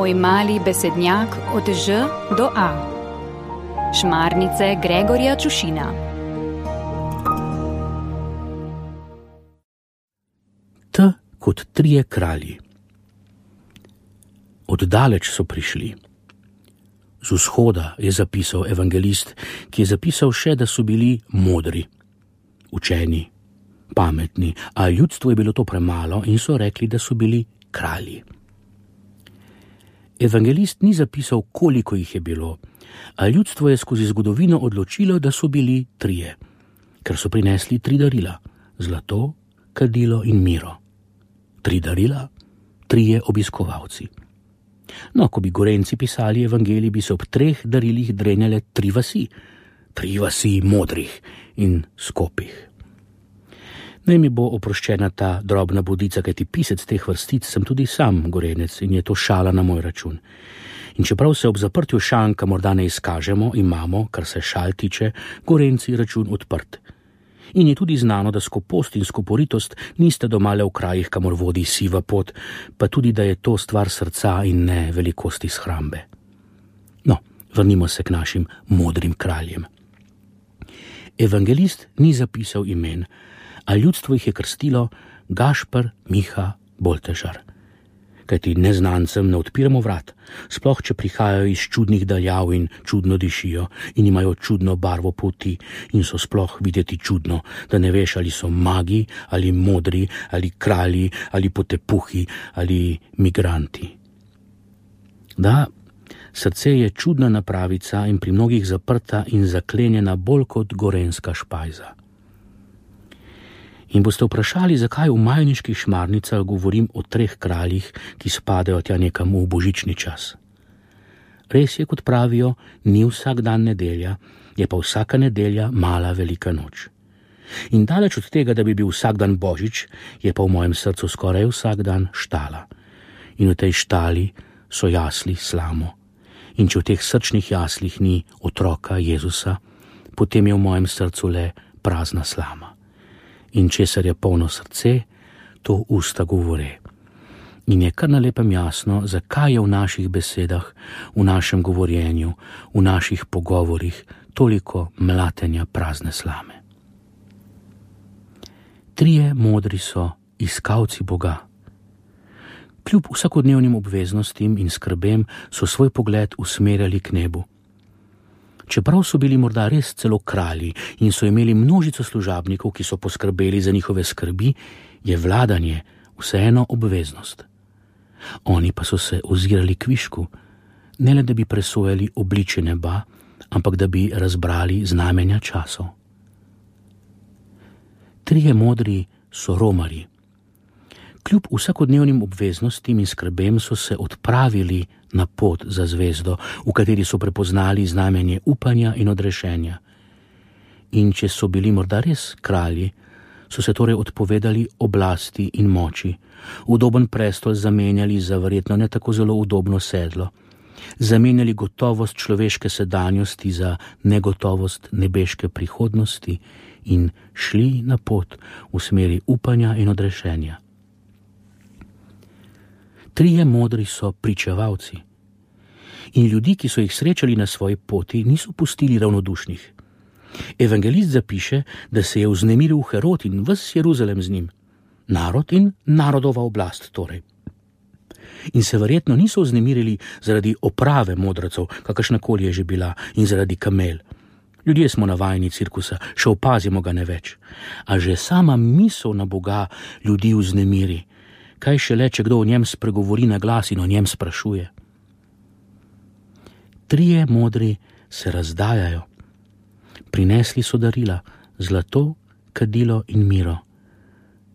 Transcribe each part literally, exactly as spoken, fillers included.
Moj mali besednjak od Ž do A. Šmarnice Gregorja Čušina. T kot trije kralji. Oddaleč so prišli. Z vzhoda je zapisal evangelist, ki je zapisal še, da so bili modri, učeni, pametni, a ljudstvo je bilo to premalo in so rekli, da so bili kralji. Evangelist ni zapisal, koliko jih je bilo, a ljudstvo je skozi zgodovino odločilo, da so bili trije, ker so prinesli tri darila: zlato, kadilo in miro. Tri darila, trije obiskovalci. No, ko bi Gorenjci pisali evangelij, bi se ob treh darilih drenjale tri vasi, tri vasi modrih in skopih. Naj mi bo oproščena ta drobna bodica, kajti pisec teh vrstic sem tudi sam Gorenec in je to šala na moj račun. In čeprav se ob zaprtju šanka morda ne izkažemo, imamo, kar se šal tiče, Gorenjci račun odprt. In je tudi znano, da skopost in skoporitost niste domale v krajih, kamor vodi siva pot, pa tudi, da je to stvar srca in ne velikosti shrambe. No, vrnimo se k našim modrim kraljem. Evangelist ni zapisal imen, a ljudstvo jih je krstilo Gašper, Miha, Boltežar. Kajti neznancem ne odpiramo vrat, sploh če prihajajo iz čudnih daljav in čudno dišijo in imajo čudno barvo polti in so sploh videti čudno, da ne veš, ali so magi, ali modri, ali kralji, ali potepuhi, ali migranti. Da, srce je čudna napravica in pri mnogih zaprta in zaklenjena bolj kot gorenjska špajza. In boste vprašali, zakaj v majniških Šmarnicah govorim o treh kraljih, ki spadajo tja nekam v božični čas. Res je, kot pravijo, ni vsak dan nedelja, je pa vsaka nedelja mala velika noč. In daleč od tega, da bi bil vsak dan božič, je pa v mojem srcu skoraj vsak dan štala. In v tej štali so jasli slamo. In če v teh srčnih jaslih ni otroka Jezusa, potem je v mojem srcu le prazna slama. In česar je polno srce, to usta govore. In je kar na lepem jasno, zakaj je v naših besedah, v našem govorjenju, v naših pogovorih toliko mlatenja prazne slame. Trije modri so iskalci Boga. Kljub vsakodnevnim obveznostim in skrbem so svoj pogled usmerjali k nebu. Čeprav so bili morda res celo kralji in so imeli množico služabnikov, ki so poskrbeli za njihove skrbi, je vladanje vseeno obveznost. Oni pa so se ozirali kvišku, ne le da bi presojali obličje neba, ampak da bi razbrali znamenja časov. Trije modri so romarji. Kljub vsakodnevnim obveznostim in skrbem so se odpravili na pot za zvezdo, v kateri so prepoznali znamenje upanja in odrešenja. In če so bili morda res kralji, so se torej odpovedali oblasti in moči, udoben prestol zamenjali za verjetno ne tako zelo udobno sedlo, zamenjali gotovost človeške sedanjosti za negotovost nebeške prihodnosti in šli na pot v smeri upanja in odrešenja. Trije modri so pričevalci. In ljudi, ki so jih srečali na svoji poti, niso pustili ravnodušnih. Evangelist zapiše, da se je vznemiril Herod in ves Jeruzalem z njim. Narod in narodova oblast torej. In se verjetno niso vznemirili zaradi oprave modracev, kakršnakoli je že bila, in zaradi kamel. Ljudje smo navajeni cirkusa, še opazimo ga ne več. A že sama misel na Boga ljudi vznemiri. Kaj šele, če kdo o njem spregovori na glas in o njem sprašuje. Trije modri se razdajajo. Prinesli so darila, zlato, kadilo in miro.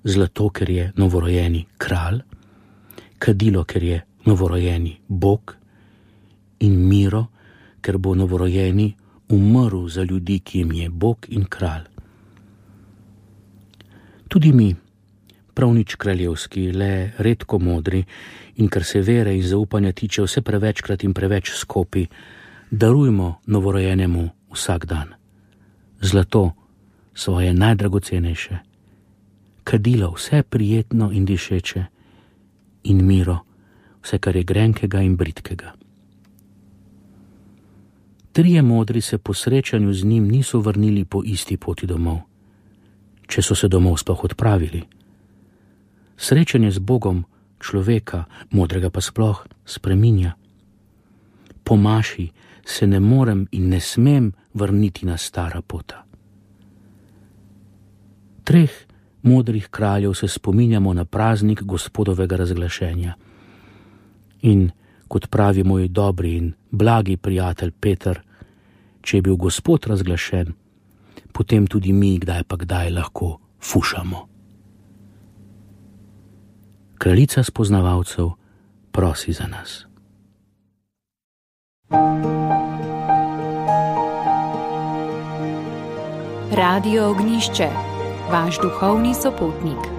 Zlato, ker je novorojeni kralj, kadilo, ker je novorojeni Bog, in miro, ker bo novorojeni umrl za ljudi, ki jim je Bog in kralj. Tudi mi, prav nič kraljevski, le redko modri in kar se vere in zaupanja tiče vse prevečkrat in preveč skopi, darujmo novorojenemu vsak dan. Zlato, svoje najdragocenejše, kadilo, vse prijetno in dišeče, in miro, vse, kar je grenkega in britkega. Trije modri se po srečanju z njim niso vrnili po isti poti domov, če so se domov sploh odpravili. Srečanje z Bogom človeka, modrega pa sploh, spreminja. Po maši se ne morem in ne smem vrniti na stara pota. Treh modrih kraljev se spominjamo na praznik Gospodovega razglašenja. In kot pravi moj dobri in blagi prijatelj Peter, če je bil Gospod razglašen, potem tudi mi kdaj pa kdaj lahko fušamo. Kraljica spoznavalcev prosi za nas. Radio Ognišče, vaš duhovni sopotnik.